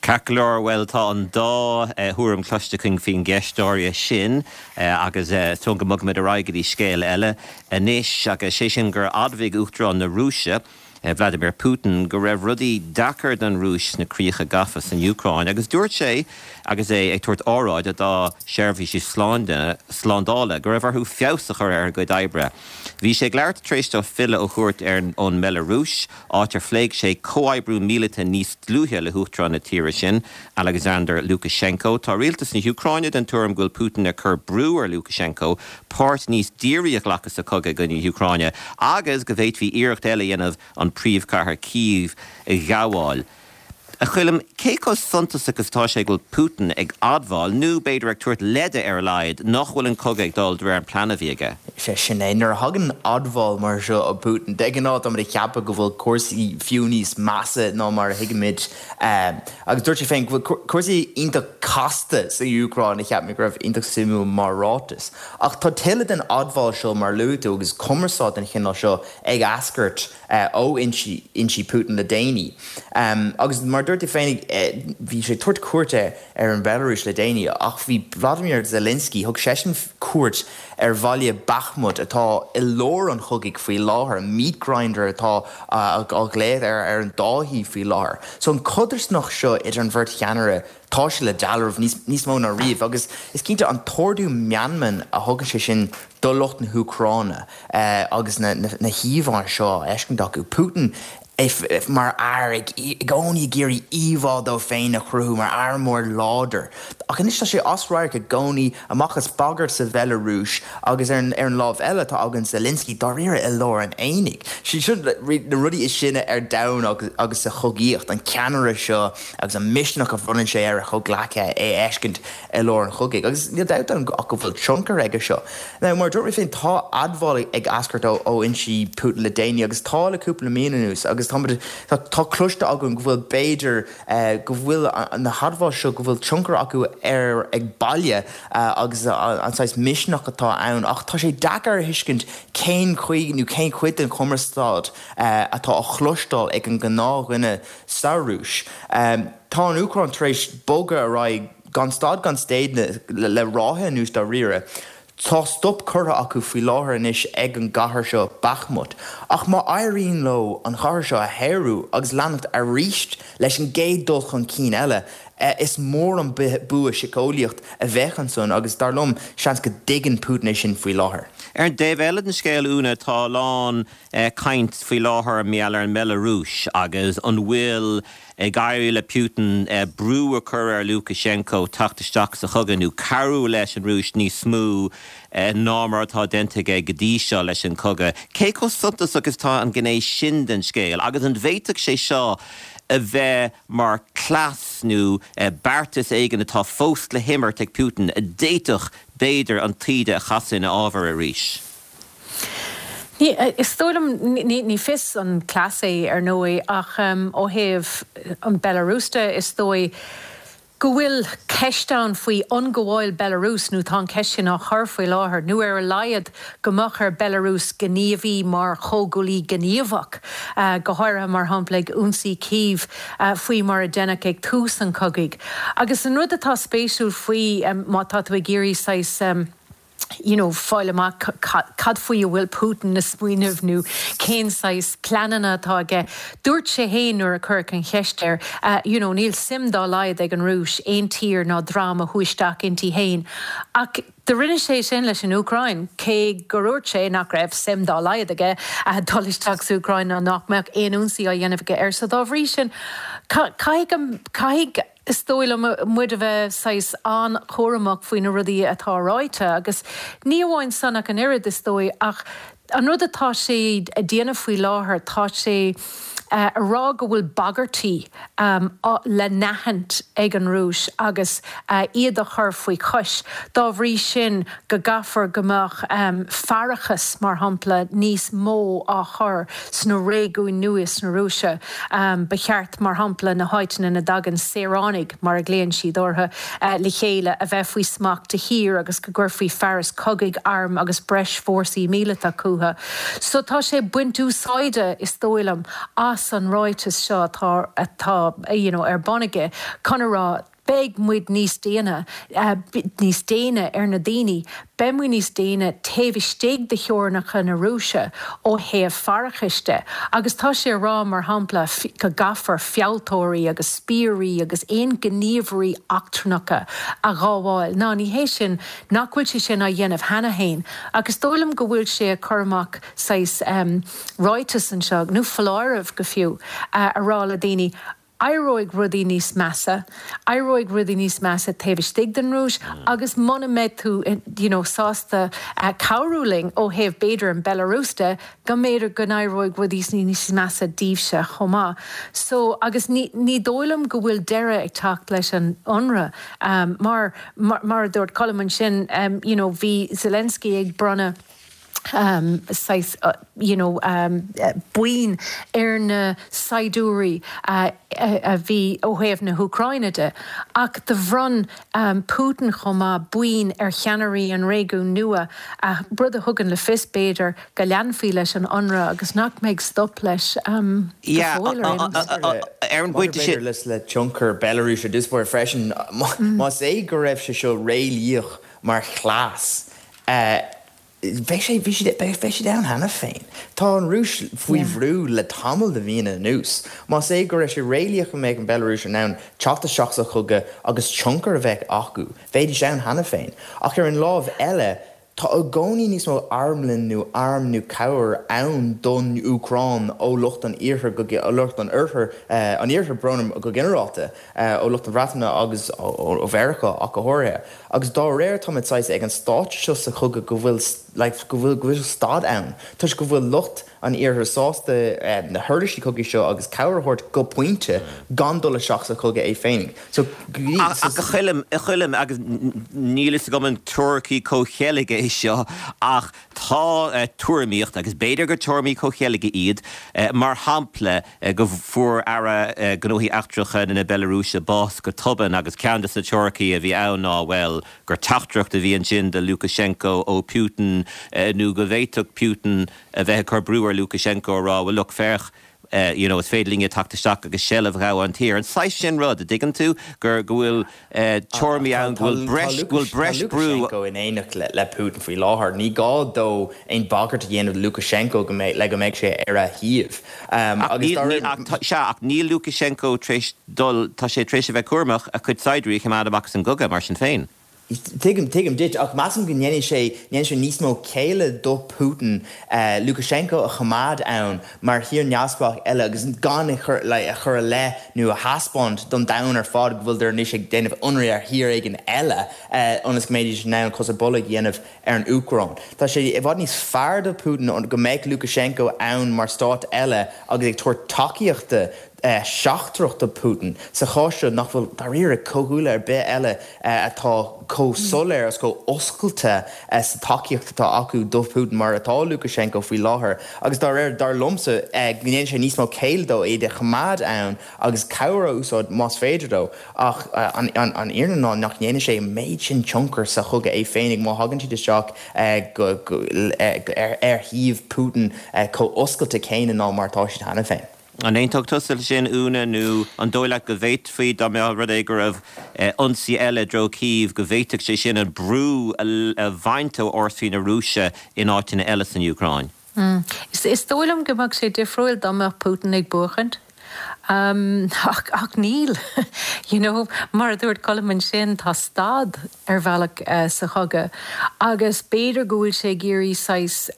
Ceart go leor, bhuel tá an dá thuairim cloiste againn faoin gceist áirithe sin agus is dóigh go mbogfaimid ar aghaidh go dtí scéal eile anois agus sé sin gur admhaigh Uachtarán na Rúise, Vladimir Putin go raibh rudaí deacair don Rúis sna críocha gafa san Úcráin agus dúirt sé agus é ag tabhairt óráide dá sheirbhísí slándála go raibh orthu feabhas a chur ar a gcuid oibre. Bhí sé ag labhairt tar éis dó filleadh ó chuairt ar ón mBeilearúis, áit ar phléigh sé comhoibriú míleata níos dlúithe le huachtarán na tíre sin, Alexander Lukashenko. Tá rialtas na hÚcráine den tuairim go bhfuil Putin ag cur brú ar Lukashenko páirt níos dírí a ghlacadh sa chogadh i gcoinne na hÚcráine agus go bhféadfaí iarracht eile a dhéanamh an príomhchathair Cív a ghabháil. A Choilm, cé chomh suntasach is atá sé go bhfuil Putin ag admháil, nó b'fhéidir ag tabhairt leide ar a laghad, nach bhfuil an cogadh ag dul de réir an plean a bhí aige?
Sea, sin é. Nuair a thagann admháil mar seo ó Putin, de ghnáth táimid ag ceapadh go bhfuil cúrsaí fiú níos measa ná mar a thuigimid. Agus dúirt sé féin go bhfuil cúrsaí iontach casta sa Úcráin, a cheap mé go raibh iontach suimiúil mar ráiteas. Ach tá tuilleadh den admháil seo, mar a luaigh tú, agus cumarsáid den chineál seo ag eascairt ó fhoinsí Putin le déanaí. Agus mar a dúirt tú féin, bhí sé ag tabhairt cuairte ar an Bhealarúis le déanaí, ach bhí Vladimir Zelensky, thug seisean cuairt ar bhaile Bakhmut atá i lár an chogaidh faoi láthair, an meat grinder atá á ghlaoch air ar an dá thaobh faoi láthair. So an chodarsnacht seo idir an bheirt cheannaire, tá sé le dealramh níos mó ná riamh agus is cinnte an t-ardú meanman a thugann sé sin do lucht na hÚcráine agus na híomhánna seo á fheiscint acu. Putin mar fhear i gcónaí ag iarraidh íomhá dó féin a chruthú mar fhear mór láidir. Ach anois tá sé as radharc i gcónaí, amach as bagairt sa Bheilearúis agus ar an lámh eile tá againn Zelensky dáiríre i lár an aonaigh. Seo na rudaí is sine ar domhan agus sa chogaíocht, an ceannaire seo agus an misneach a bhronnann sé ar a chomhghleacaithe é a fheiscint i lár an chogaidh. Agus níl dabht ann ach go bhfuil tionchar aige seo. Now, mar a dúirt mé féin, tá admháil ag eascairt ó fhoinsí Putin le déanaí agus tá le cúpla mí anuas agus tá cloiste againn go bhfuil b'fhéidir go bhfuil na hadmháil seo, go bhfuil tionchar acu air ag baile agus an saghas misneach atá ann ach tá sé deacair a thuiscint cén chaoi nó cén chuid den chumarsáid atá á chloisteáil ag an ngnáthdhuine sa Rúis. Tá an Úcráin tar éis bogadh ar aghaidh gan stad gan staonadh le ráithe anuas dáiríre. Tá stop curtha acu faoi láthair anois ag an gcathair seo, Bakhmut, ach má éiríonn leo an chathair seo a shaorú agus leanacht arís leis an gcéad dul chun cinn eile, is mór an bua síceolaíoch a bheadh ansan agus, dar liom, seans go dtuigeann Putin é sin faoi láthair.
Ar an dtaobh eile den scéal, Úna, tá a lán caint faoi láthair mar gheall ar an mBealarúis agus an bhfuil ag éirí le Putin brú a chur ar Lukashenko teacht isteach sa chogadh nó cabhrú leis an Rúis níos mó ná mar atá déanta aige go dtí seo leis an chogadh. Cé chomh suntasach is atá an ghné sin den scéal agus an bhféadfadh sé seo a bheith mar chleas nó beartas éigin atá fós le himirt ag Putin a d'fhéadfadh, b'fhéidir, an taoide a chasadh ina fhábhar arís?
Is dóigh liom, ní fios an cleas é ar ndóigh, ach ó thaobh an Belarus de, is dóigh go bhfuil ceist ann faoi ionghabháil Belarus, nó tá an cheist sin á chur faoi láthair, nó ar a laghad go mbeadh ar Belarus gníomhaí mar chomhghuaillí gníomhach, go háirithe mar shampla ag ionsaí Kyiv faoi mar a deineadh ag tús an chogaidh. Agus an rud atá spéisiúil faoi, má tá tú ag iarraidh saghas. you know fáil amach cad faoi a bhfuil Putin ag smaoineamh nó cén saghas pleananna atá aige. Dúirt sé fhéin nuair a cuireadh an cheist air, you know níl suim dá laghad ag an Rúis aon tír ná dream a shú isteach inti fhéin. Ach do rinne sé sin leis an Úcráin, cé gur dhúirt sé nach raibh suim dá laghad aige dul isteach sa Úcráin ná nach mbeadh aon ionsaí á dhéanamh aige air. So dá bhrí sin, caithfidh, caithfidh, Is dóigh liom muid a bheith saghas an-chúramach faoi na rudaí atá ráite agus ní amháin san ach an oiread, is dóigh, ach an rud atá sé a déanamh faoi láthair, tá sé a rá go bhfuil bagairtí le n-aithint ag an Rúis agus iad a chur faoi chois. Dá bhrí sin go gcaithfear go mbeadh faireachas, mar shampla, níos mó á chur sna réigiúin nua sna Rúise. Ba cheart, mar shampla, na háiteanna ina dtagann saoránaigh, mar a ghlaonn siad orthu, le chéile, a bheith faoi smacht de shíor agus go gcuirfí fearas cogaidh, airm agus breis fórsaí míleata chucu. So tá sé ag baint úsáide, is dóigh liom, as an ráiteas seo atá, atá, you know, ar bun aige chun a rá, Beidh muid níos déine, níos déine ar na daoine, beidh muid níos déine taobh istigh de theorainneacha na Rúise ó thaobh faireachais de. Agus tá sé a rá, mar shampla, go gcaithfear fealltóirí agus spiairí agus aon ghníomhairí eachtrannacha a ghabháil. Ná, ní hé sin, nach bhfuil sé sin á dhéanamh cheana féin. Ach is dóigh liom go bhfuil sé ag cur amach saghas ráiteas anseo, nó foláireamh go fiú, a rá le daoine, Éireoidh rudaí níos measa, éireoidh rudaí níos measa taobh istigh den Rúis agus muna mbeidh tú you know sásta cabhrú linn ó thaobh b'fhéidir an Belarus de, go mb'fhéidir go n-éireoidh rudaí níos measa daoibhse chomh maith. So, agus ní, ní dóigh liom go bhfuil deireadh ag teacht leis an ionradh mar, mar a dúirt Colm ansin you know bhí Zelensky ag bronnadh, saghas you know boinn ar na saighdiúirí a bhí ó thaobh na hÚcráine de ach do bhronn Putin chomh maith boinn ar cheannairí an réigiúin nua, rud a thugann le fios b'fhéidir go leanfaí leis an ionradh agus nach mbeidh stop leis go fóill ar aon nós.
Ar an bpointe sin.
Maidir le tionchar Belarus ar dtús báire freisin, más é go raibh sé seo réalaíoch mar chleas, Bheadh sé, bhí siad, beidh siad ann cheana féin. Tá an Rúis faoi bhrú le tamall de mhíonna anuas. Más é go raibh sé réalaíoch go mbeadh an Bhealarúis in ann teacht isteach sa chogadh agus tionchar a bheith acu, bheidís ann cheana féin. Ach ar an lámh eile, Tá i gcónaí níos mó armlann nó arm nó cabhair ann don Úcráin ó lucht an iarthair go ó lucht an oirthir, an iarthair, brón orm, go ginearálta, ó lucht na Breataine agus ó Mheiriceá ach go háirithe. Agus dá réir táimid saghas ag an stáitse seo sa chogadh go bhfuil like go bhfuil go bhfuil stad ann toisc go bhfuil lucht an iarthair sásta na huirlisí cogaidh seo agus cabhair a thabhairt go pointe gan dul isteach sa chogadh é féinig.
So, Ach a Choilm, a Choilm, agus níl fhios agam an teoiricí comhcheilge é seo, ach tá tuairimíocht, agus b'fhéidir gur tuairimí comhcheilge iad, mar shampla, go bhfuair Aire Gnóthaí Eachtracha na Bealarúise bás go tobann agus ceann de na teoiricí a bhí ann ná, bhuel, gur teachtaireacht a bhí ansin do Lukashenko ó Putin nó go bhféadfadh Putin a bheith ag cur brú ar Lukashenko a rá, bhuel, look, féach, you know, is féidir linne teacht isteach agus seilbh a ghabháil ar an tír. An saghas sin rud, a dtuigeann tú, gur, go bhfuil tuairimí ann go bhfuil breis, go bhfuil breis brú.
Tá Lukashenko in éineacht le Putin faoi láthair. Ní gá dó aon bagairt a dhéanamh do Lukashenko go mbeidh, le go mbeidh sé ar a thaobh.
Ach níl, níl, ach tá, sea, ach níl Lukashenko tar éis dul, tá sé tar éis a bheith cúramach a chuid saighdiúirí a choimeád amach as an gcogadh, mar sin féin.
Tuigim, tuigim duit, ach measaim go ndéanfaidh sé, ndéanfaidh sé níos mó céille do Putin Lukashenko a choimeád ann mar thír neamhspleách eile agus gan a chur, like, a chur i leith nó a thaispeáint don domhan ar fad go bhfuiltear anois ag déanamh ionradh ar thír éigin eile ionas go mbeidís in ann cos ar bolg a dhéanamh ar an Úcráin. Tá sé i bhfad níos fearr do Putin go mbeadh Lukashenko ann mar stát eile agus ag tabhairt tacaíochta seachtrach do Putin sa chás seo nach bhfuil dáiríre comhghuaillí ar bith eile atá chomh soiléir agus chomh oscailte sa tacaíocht atá acu do Putin mar atá Lukashenko faoi láthair agus dá réir, dar liomsa, go ndéanann sé níos mó céille dó iad a choimeád ann agus cabhair a úsáid más féidir dó. Ach an fhírinne ná nach ndéanann sé an méid sin tionchair sa chogadh é féinig má thagann siad isteach ar thaobh Putin chomh oscailte céanna ná mar atá siad cheana féin.
An aontódh tusa leis sin, Úna, nó an dóigh leat go bhféadfaí, dá mbeadh rud é go raibh ionsaí eile i dtreo Cív, go bhféadfadh sé sin an brú a bhaint ó fhórsaí na Rúise in áiteanna eile san Úcráin?
Is dóigh liom go mbeadh sé difriúil dá mbeadh Putin ag buachaint. Ach, ach níl. You know, mar a dúirt Colm ansin, tá stad ar bhealach sa chogadh agus b'fhéidir go bhfuil sé ag iarraidh saghas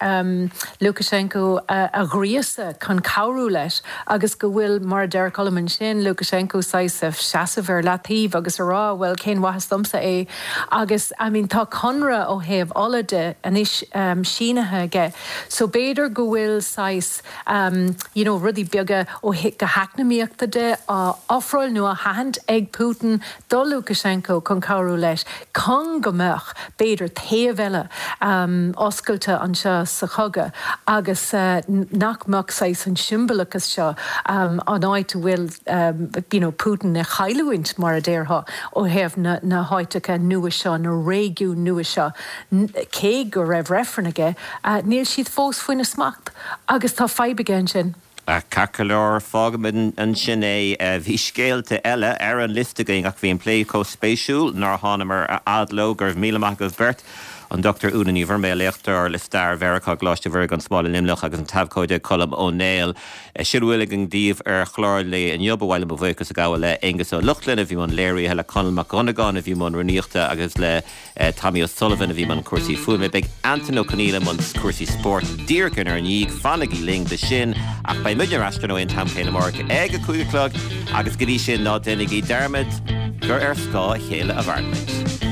Lukashenko a ghríosadh chun cabhrú leis agus go bhfuil, mar a deir Colm ansin, Lukashenko saghas ag seasamh ar leataobh agus a rá bhuel cén mhaitheas domsa é agus I mean tá conradh ó thaobh ola de anois sínithe aige so b'fhéidir go bhfuil saghas you know rudaí beaga ó go heacnamaíochta de á ofráil nó á thathant ag Putin do Lukashenko chun cabhrú leis chun go mbeadh, b'fhéidir, taobh eile oscailte anseo sa chogadh agus nach mbeadh saghas an siombalachas seo, an áit a bhfuil you know Putin ag cailliúint, mar a déarfá, ó thaobh na na háiteacha nua seo, na réigiúin nua seo, cé go raibh reifreann aige, níl siad fós faoina smacht agus tá fadhb aige ansin.
Ceart go leor, fágfaimid ansin é. Bhí scéalta eile ar an liosta againn ach bhí an plé chomh spéisiúil nár thánamar a fhad leo. Go raibh míle maith agaibh beirt, an Dr Úna Ní Mhuirméil, léachtóir le stair Mheiriceá i gColáiste Mhuire gan Smál i Luimneach agus an t-abhcóide Colm Ó Néill. Sin a bhfuil againn daoibh ar chlár an lae inniu. Ba mhaith liom mo bhuíochas a ghabháil le Aengus Ó Lochlainn a bhí i mbun léirithe, le Conall Mac Dhonnagáin a bhí i mbun rúnaíochta agus le Tommy O'Sullivan a bhí i mbun cúrsaí fuaime. Beidh Antain Ó Conghaile i mbun cúrsaí spóirt díreach inár ndiaidh. Fanaigí linn do sin. Ach beidh muidne ar ais ar ndóigh an t-am céanna amárach ag a 5 a chlog agus go dtí sin ná déanaigí dearmad gur ar scáth a chéile a mhaireann muid.